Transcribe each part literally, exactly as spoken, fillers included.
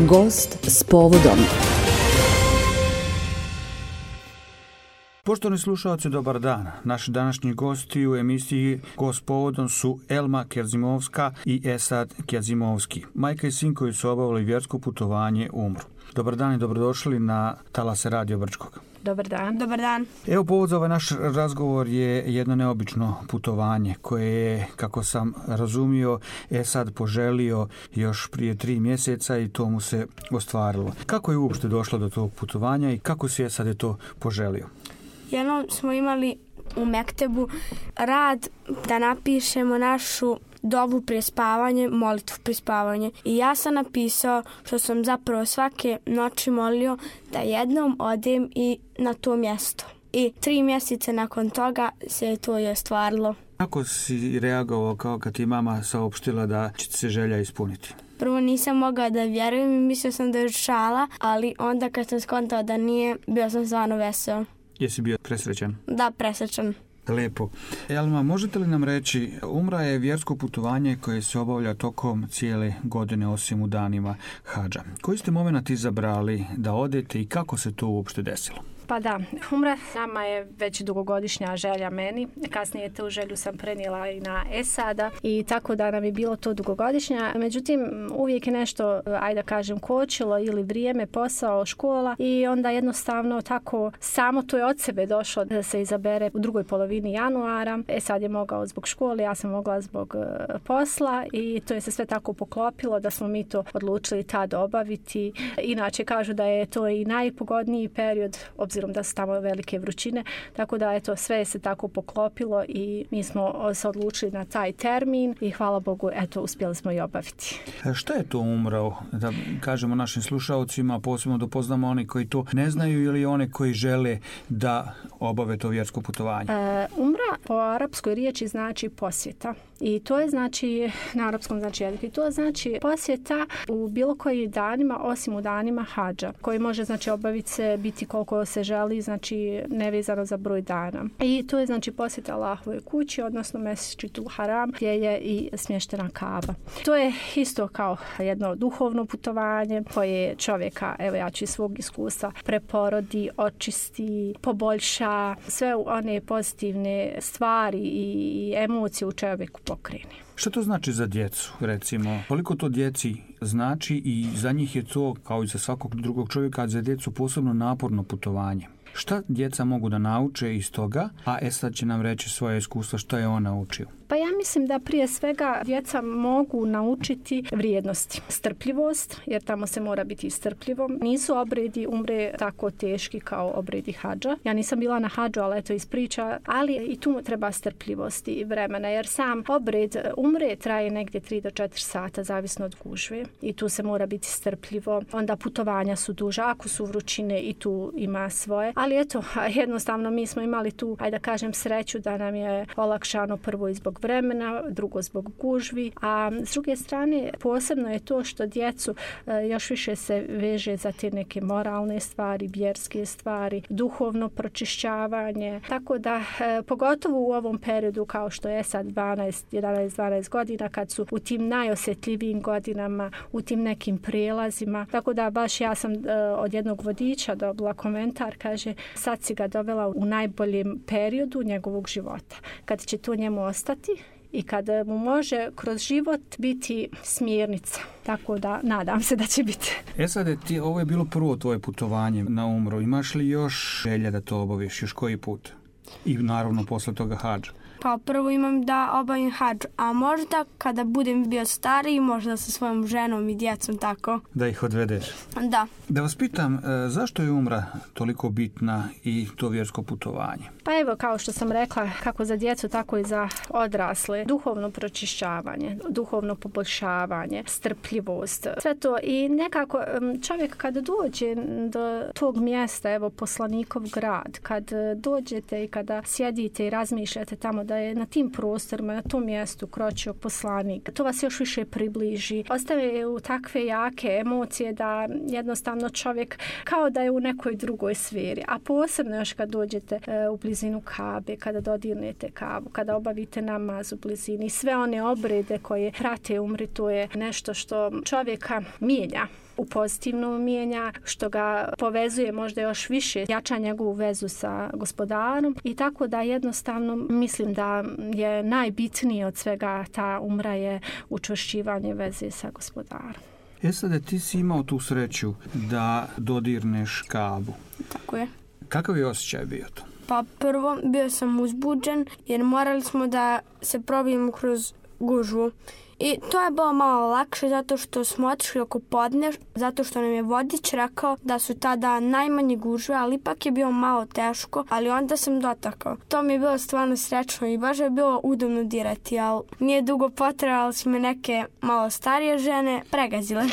Gost s povodom. Poštovani slušalci, dobar dan. Naši današnji gosti u emisiji Gost s povodom su Elma Kerzimovska i Esad Kerzimovski, majka i sin koji su obavili vjersko putovanje u Umru. Dobar dan i dobrodošli na talase Radio Brčkog. Dobar dan. Dobar dan. Evo, povod za ovaj naš razgovor je jedno neobično putovanje koje je, kako sam razumio, Esad poželio još prije tri mjeseca i to mu se ostvarilo. Kako je uopšte došlo do tog putovanja i kako si Esad je to poželio? Jednom smo imali u Mektebu rad da napišemo našu dovu prije spavanje, molitvu prije spavanje. I ja sam napisao što sam zapravo svake noći molio da jednom odem i na to mjesto. I tri mjeseca nakon toga se to i ostvarilo. Kako si reagovao kao kad ti mama saopštila da će se želja ispuniti? Prvo nisam mogla da vjerujem i mislio sam da je šala, ali onda kad sam skontao da nije, bio sam stvarno veseo. Jesi bio presrećan? Da, presrećan. Lijepo. Elma, možete li nam reći, Umra je vjersko putovanje koje se obavlja tokom cijele godine osim u danima hadža. Koji ste moment izabrali da odete i kako se to uopšte desilo? Pa da, Umra nama je već dugogodišnja želja meni. Kasnije tu želju sam prenijela i na Esada i tako da nam je bilo to dugogodišnja. Međutim, uvijek je nešto, ajde da kažem, kočilo ili vrijeme, posao, škola i onda jednostavno tako samo to je od sebe došlo da se izabere u drugoj polovini januara. Esad je mogao zbog škole, ja sam mogla zbog posla i to je se sve tako poklopilo da smo mi to odlučili tad obaviti. Inače kažu da je to i najpogodniji period, obzirom da su tamo velike vrućine, tako da eto, sve se tako poklopilo i mi smo se odlučili na taj termin i hvala Bogu, eto, uspjeli smo i obaviti. Šta je to Umra? Da kažemo našim slušalcima, posebno da poznamo oni koji to ne znaju ili one koji žele da obave to vjersko putovanje? E, umra po arapskoj riječi znači posjeta. I to je znači, na arapskom znači jezik, i to znači posjeta u bilo kojim danima, osim u danima hadža, koji može znači obaviti se, biti koliko se želi, znači nevezano za broj dana. I to je znači posjeta Allahovoj kući, odnosno Mesdžidu Haram, gdje je i smještena Kaaba. To je isto kao jedno duhovno putovanje koje čovjeka, evo ja ću iz svog iskustva, preporodi, očisti, poboljša sve one pozitivne stvari i emocije u čovjeku pokrene. Što to znači za djecu, recimo? Koliko to djeci znači i za njih je to, kao i za svakog drugog čovjeka, za djecu posebno naporno putovanje? Šta djeca mogu da nauče iz toga, a Esad će nam reći svoje iskustva što je on naučio? Pa ja mislim da prije svega djeca mogu naučiti vrijednosti. Strpljivost, jer tamo se mora biti strpljivom. Nisu obredi Umre tako teški kao obredi hadža. Ja nisam bila na hadžu, ali eto iz priča, ali i tu treba strpljivosti i vremena, jer sam obred Umre traje negdje tri do četiri sata, zavisno od gužve. I tu se mora biti strpljivo. Onda putovanja su duža, ako su vrućine i tu ima svoje. Ali eto, jednostavno mi smo imali tu, ajde da kažem, sreću da nam je olakšano prvo i zbog vremena, drugo zbog gužvi, a s druge strane posebno je to što djecu još više se veže za te neke moralne stvari, vjerske stvari, duhovno pročišćavanje, tako da pogotovo u ovom periodu kao što je sad dvanaest, jedanaest, dvanaest godina, kad su u tim najosjetljivijim godinama, u tim nekim prijelazima, tako da baš ja sam od jednog vodiča dobila komentar, kaže, sad si ga dovela u najboljem periodu njegovog života, kad će to njemu ostati i kada mu može kroz život biti smjernica. Tako da nadam se da će biti. E sad, ti, ovo je bilo prvo tvoje putovanje na Umru. Imaš li još želja da to obaviš? Još koji put? I naravno posle toga hadža. Pa prvo imam da obavim hadž, a možda kada budem bio stariji, možda sa svojom ženom i djecom tako. Da ih odvedeš? Da. Da vas pitam, zašto je Umra toliko bitna i to vjersko putovanje? Pa evo, kao što sam rekla, kako za djecu, tako i za odrasle. Duhovno pročišćavanje, duhovno poboljšavanje, strpljivost, sve to. I nekako čovjek kad dođe do tog mjesta, evo poslanikov grad, kad dođete i kada sjedite i razmišljate tamo kada je na tim prostorima, na tom mjestu kročio poslanik, to vas još više približi. Ostave u takve jake emocije da jednostavno čovjek kao da je u nekoj drugoj sferi. A posebno još kad dođete u blizinu Kabe, kada dodirnete Kabu, kada obavite namaz u blizini, sve one obrede koje prate umri, to je nešto što čovjeka mijenja, u pozitivnom mijenja, što ga povezuje možda još više, jača njegovu vezu sa gospodarom i tako da jednostavno mislim da je najbitnije od svega ta umra je učvršćivanje veze sa gospodarom. E sad, ti si imao tu sreću da dodirneš Kabu. Tako je. Kakav je osjećaj bio to? Pa prvo bio sam uzbuđen jer morali smo da se probijemo kroz gužvu. I to je bilo malo lakše zato što smo otišli oko podne, zato što nam je vodič rekao da su tada najmanje gužve, ali ipak je bilo malo teško, ali onda sam dotakao. To mi je bilo stvarno srećno i baš je bilo udobno dirati, ali nije dugo potrebalo, su me neke malo starije žene pregazile.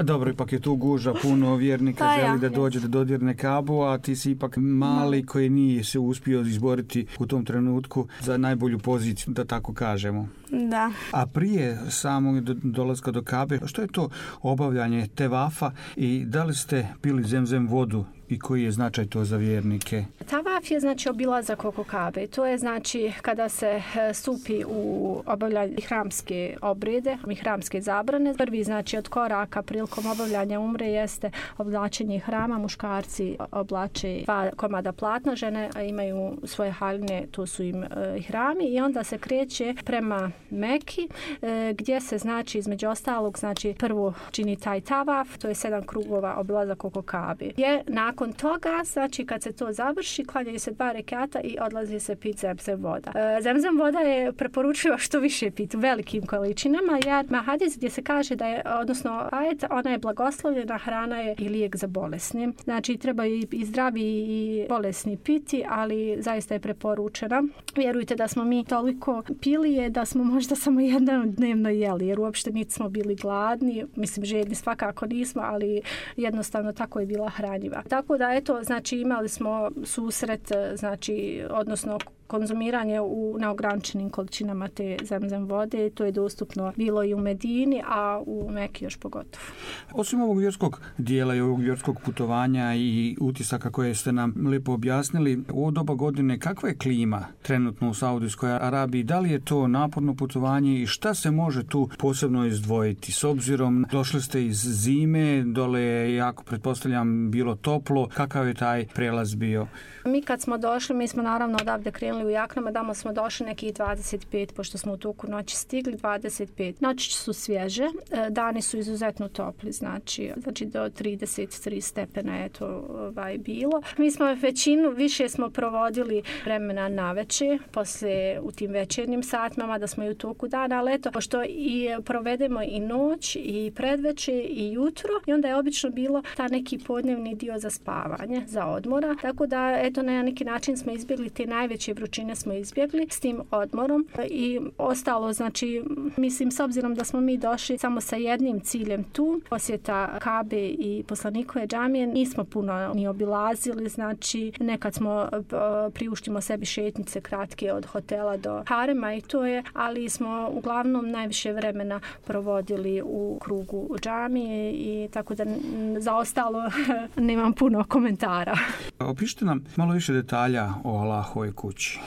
Dobro, ipak je tu gužva, puno vjernika pa želi ja, da dođe da dodirne Kabu, a ti si ipak mali no. koji nije se uspio izboriti u tom trenutku za najbolju poziciju, da tako kažemo. Da. A prije samog dolaska do Kabe, što je to obavljanje tevafa i da li ste pili zemzem vodu i koji je značaj to za vjernike? Tavaf je znači obilazak oko Kabe. To je znači kada se stupi u obavljanje hramske obrede, hramske zabrane. Prvi znači od koraka prilikom obavljanja umre jeste oblačenje hrama. Muškarci oblače dva komada platna, žene imaju svoje haljine, to su im e, hrami i onda se kreće prema Meki e, gdje se znači između ostalog znači prvo čini taj tavaf, to je sedam krugova obilazak oko Kabe. Je nakon toga, znači kad se to završi, klanjaju se dva rekata i odlazi se pit zemzem voda. E, zemzem voda je preporučiva što više piti u velikim količinama, jer ima hadis gdje se kaže da je, odnosno ajet, ona je blagoslovljena, hrana je i lijek za bolesne. Znači treba i, i zdravi i bolesni piti, ali zaista je preporučena. Vjerujte da smo mi toliko pili je da smo možda samo jednom dnevno jeli, jer uopšte niti smo bili gladni, mislim žedni svakako nismo, ali jednostavno tako je bila hranjiva. Tako da eto, znači imali smo susret, znači odnosno konzumiranje u neograničenim količinama te zemzem vode, to je dostupno bilo i u Medini, a u Meki još pogotovo. Osim ovog vjerskog dijela i ovog vjerskog putovanja i utisaka koje ste nam lijepo objasnili, u ovo doba godine kakva je klima trenutno u Saudijskoj Arabiji? Da li je to naporno putovanje i šta se može tu posebno izdvojiti? S obzirom došli ste iz zime, dole je jako, pretpostavljam, bilo toplo. Kakav je taj prelaz bio? Mi kad smo došli, mi smo naravno odavde krenuli u jaknama, damo smo došli nekih dvadeset pet, pošto smo u toku noći stigli, dvadeset pet. Noći su svježe, dani su izuzetno topli, znači, znači do trideset tri stepena je to ovaj, bilo. Mi smo većinu, više smo provodili vremena naveče, poslije u tim večernjim satima, da smo i u toku dana, ali eto, pošto i provedemo i noć, i predveče, i jutro, i onda je obično bilo ta neki podnevni dio za spavanje, za odmora, tako da, eto, na neki način smo izbjegli te najveće vrućine smo izbjegli s tim odmorom i ostalo, znači, mislim, s obzirom da smo mi došli samo sa jednim ciljem tu, posjeta Kabe i poslanikove džamije, nismo puno ni obilazili, znači, nekad smo priuštimo sebi šetnice kratke od hotela do harema i to je, ali smo uglavnom najviše vremena provodili u krugu džamije i tako da za ostalo nemam puno komentara. Opišite nam malo više detalja o Allahovoj kući.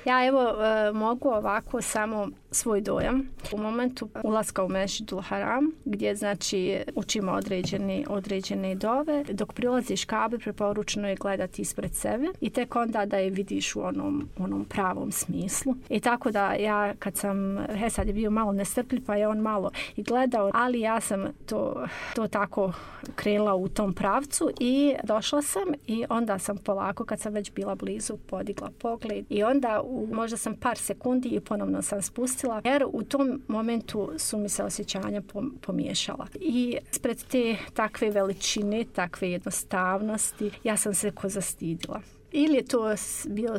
Ja evo e, mogu ovako samo svoj dojam. U momentu ulaska u Mešidul Haram, gdje znači učimo određene, određene dove, dok prilaziš Kabe, preporučeno je gledati ispred sebe i tek onda da je vidiš u onom, onom pravom smislu. I tako da ja kad sam, he sad je bio malo nestrpljiv, pa je on malo i gledao, ali ja sam to, to tako krenula u tom pravcu i došla sam i onda sam polako, kad sam već bila blizu, podigla pogled i onda u, možda sam par sekundi i ponovno sam spustila, jer u tom momentu su mi se osjećanja pomiješala. I ispred te takve veličine, takve jednostavnosti, ja sam se ko zastidila. ili je to bio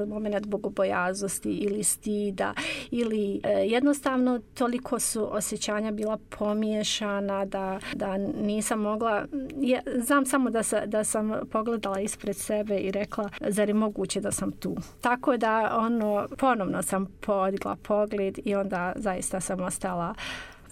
moment bogobojaznosti ili stida ili jednostavno toliko su osjećanja bila pomiješana da, da nisam mogla, ja, znam samo da, sa, da sam pogledala ispred sebe i rekla zar je moguće da sam tu. Tako da ono, ponovno sam podigla pogled i onda zaista sam ostala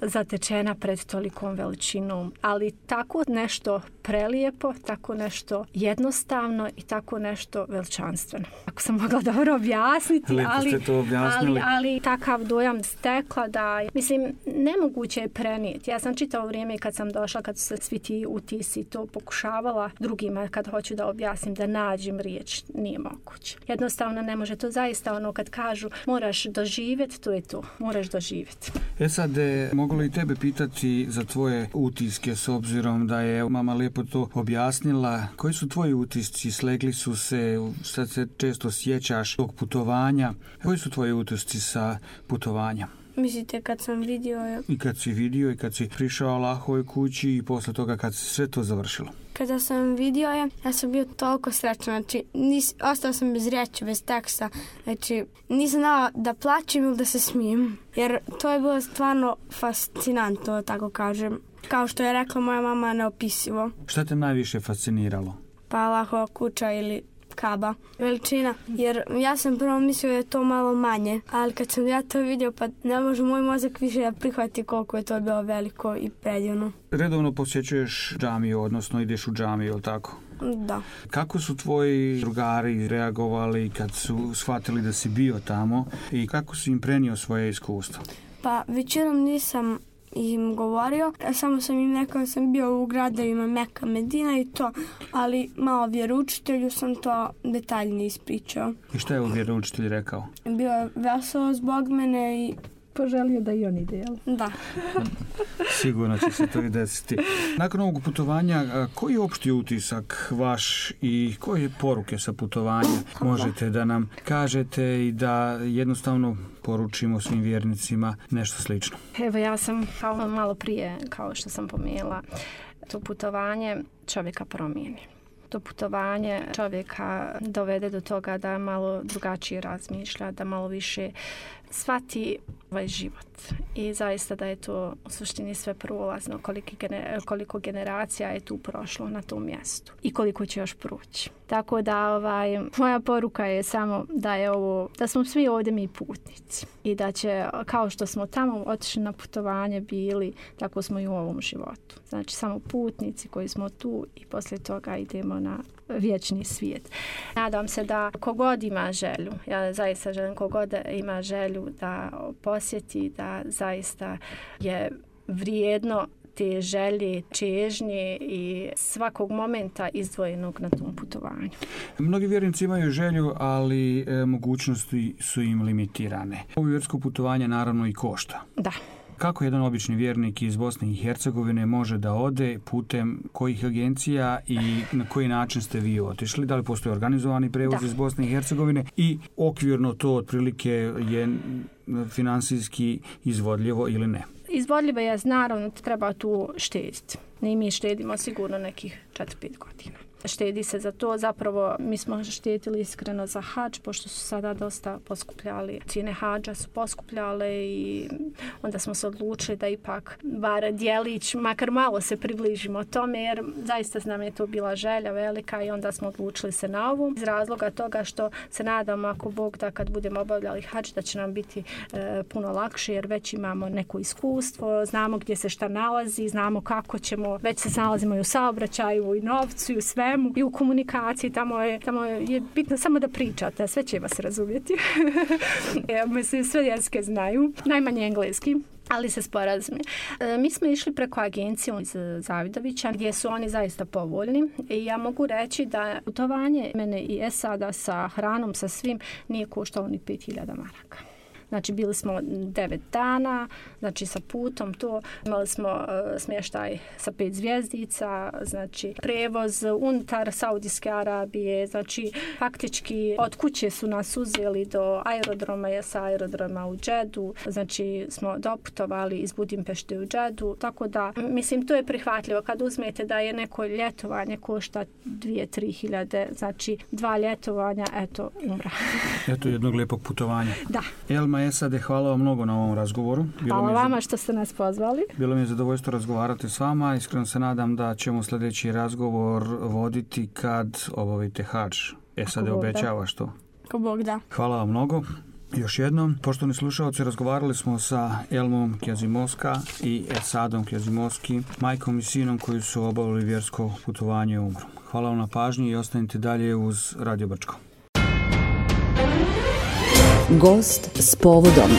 zatečena pred tolikom veličinom, ali tako nešto prelijepo, tako nešto jednostavno i tako nešto veličanstveno. Ako sam mogla dobro objasniti, ali, ali, ali takav dojam stekla da, mislim, nemoguće je prenijeti. Ja sam čitao vrijeme kad sam došla, kad su se svi ti utisi to pokušavala drugima, kad hoću da objasnim, da nađem riječ, nije moguće. Jednostavno ne može, to zaista ono kad kažu moraš doživjeti, to je to, moraš doživjeti. E sad, mogu li tebe pitati za tvoje utiske s obzirom da je mama lijepo to objasnila? Koji su tvoji utisci? Slegli su se, sad se često sjećaš tog putovanja. Koji su tvoji utisci sa putovanja? Mislite kad sam vidio... I kad si vidio i kad si prišao Allahovoj kući i posle toga kad si sve to završilo? Kada sam vidio je, ja sam bio toliko srećan, znači nis, ostao sam bez riječi, bez teksta, znači nisam znala da plaćem ili da se smijem, jer to je bilo stvarno fascinantno, tako kažem. Kao što je rekla moja mama, neopisivo. Šta te najviše fasciniralo? Pa Allahova kuća ili Kaba, veličina, jer ja sam prvo mislio da je to malo manje, ali kad sam ja to vidio, pa ne može moj mozak više da prihvati koliko je to bilo veliko i predivno. Redovno posjećuješ džamiju, odnosno ideš u džamiju, ili tako? Da. Kako su tvoji drugari reagovali kad su shvatili da si bio tamo i kako si im prenio svoje iskustvo? Pa većinom nisam im govorio, samo sam im rekao da sam bio u gradovima Meka, Medina i to, ali malo vjeroučitelju sam to detaljnije ispričao. I šta je u vjeroučitelj rekao? Bio je veselo zbog mene i poželio da i oni dijeli. Da. Sigurno će se to i desiti. Nakon ovog putovanja, koji je opšti utisak vaš i koje poruke sa putovanja možete da nam kažete i da jednostavno poručimo svim vjernicima nešto slično? Evo, ja sam kao malo prije, kao što sam pomenula, to putovanje čovjeka promijeni. To putovanje čovjeka dovede do toga da malo drugačije razmišlja, da malo više shvati ovaj život. I zaista da je to u suštini sve prolazno, koliko, koliko generacija je tu prošlo na tom mjestu i koliko će još proći. Tako da ovaj, moja poruka je samo da je ovo, da smo svi ovdje mi putnici i da će, kao što smo tamo otišli na putovanje bili, tako smo i u ovom životu. Znači samo putnici koji smo tu i poslije toga idemo na vječni svijet. Nadam se da kogod ima želju, ja zaista želim kogod ima želju da posjeti, da zaista je vrijedno te želje, čežnje i svakog momenta izdvojenog na tom putovanju. Mnogi vjernici imaju želju, ali e, mogućnosti su im limitirane. Ovo vjersko putovanje naravno i košta. Da. Kako jedan obični vjernik iz Bosne i Hercegovine može da ode, putem kojih agencija i na koji način ste vi otišli? Da li postoji organizovani prevoz da. iz Bosne i Hercegovine i okvirno to otprilike je finansijski izvodljivo ili ne? Izvodljivo je, naravno, treba tu štediti. I mi štedimo sigurno nekih četiri pet godina. Štedi se za to, zapravo mi smo štedili iskreno za hadž, pošto su sada dosta poskupljali. Cijene hadža su poskupljale i onda smo se odlučili da ipak bar dijelić, makar malo se približimo tome, jer zaista nam je to bila želja velika i onda smo odlučili se na ovu. Iz razloga toga što se nadamo, ako Bog da, kad budemo obavljali hadž, da će nam biti e, puno lakše, jer već imamo neko iskustvo, znamo gdje se šta nalazi, znamo kako ćemo, već se nalazimo i u saobraćaju, i novcu, i u svemu, i u komunikaciji, tamo je, tamo je bitno samo da pričate, sve će vas razumjeti. Mislim, sve jezike znaju, najmanje engleski, ali se sporazumi. E, mi smo išli preko agencije iz Zavidovića, gdje su oni zaista povoljni i ja mogu reći da putovanje mene i Esada sa hranom, sa svim, nije koštalo ni pet hiljada maraka. Znači bili smo devet dana, znači sa putom to. Imali smo uh, smještaj sa pet zvjezdica, znači prevoz unutar Saudijske Arabije, znači faktički od kuće su nas uzeli do aerodroma, je sa aerodroma u Džedu, znači smo doputovali iz Budimpešte u Džedu, tako da mislim to je prihvatljivo kad uzmete da je neko ljetovanje košta dvije, tri hiljade, znači dva ljetovanja, eto, umra. Eto jednog lijepog putovanja. Da. Elma Esade, hvala vam mnogo na ovom razgovoru. Bilo hvala vama što ste nas pozvali. Bilo mi je zadovoljstvo razgovarati s vama. Iskreno se nadam da ćemo sljedeći razgovor voditi kad obavite hadž. Esade, obećavaš to? Ko Bog da. Hvala vam mnogo. Još jednom, poštovani slušalci, razgovarali smo sa Elmom Kjazimovska i Esadom Kjazimovski, majkom i sinom koji su obavili vjersko putovanje u umru. Hvala vam na pažnji i ostanite dalje uz Radio Brčko. Gost s povodom.